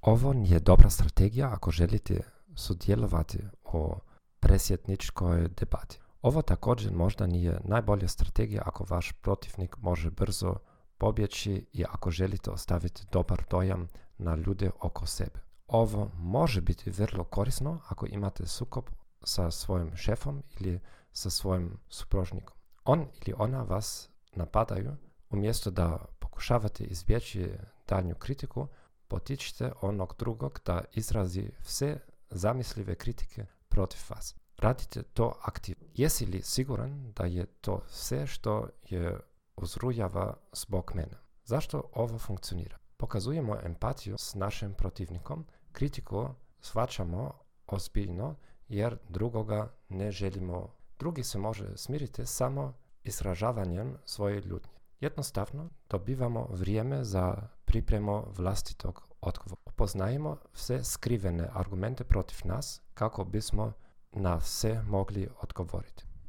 Ovo nije dobra strategija ako želite sudjelovati u presjetničkoj debati. Ovo također možda nije najbolja strategija ako vaš protivnik može brzo pobjeći i ako želite ostaviti dobar dojam na ljude oko sebe. Ovo može biti vrlo korisno ako imate sukob sa svojim šefom ili sa svojim supružnikom. On ili ona vas napadaju, umjesto da pokušavate izbjeći daljnju kritiku, potičite onog drugog da izrazi sve zamislive kritike protiv vas. Radite to aktivno. Jesi li siguran da je to sve što je uzrujava zbog mene? Zašto ovo funkcionira? Pokazujemo empatiju s našim protivnikom, kritiku shvaćamo ozbiljno jer drugoga ne želimo. Drugi se može smiriti samo izražavanjem svoje ljutnje. Jednostavno dobivamo vrijeme za pripremu vlastitog odgovora. Upoznajemo sve skrivene argumente protiv nas kako bismo na sve mogli odgovoriti.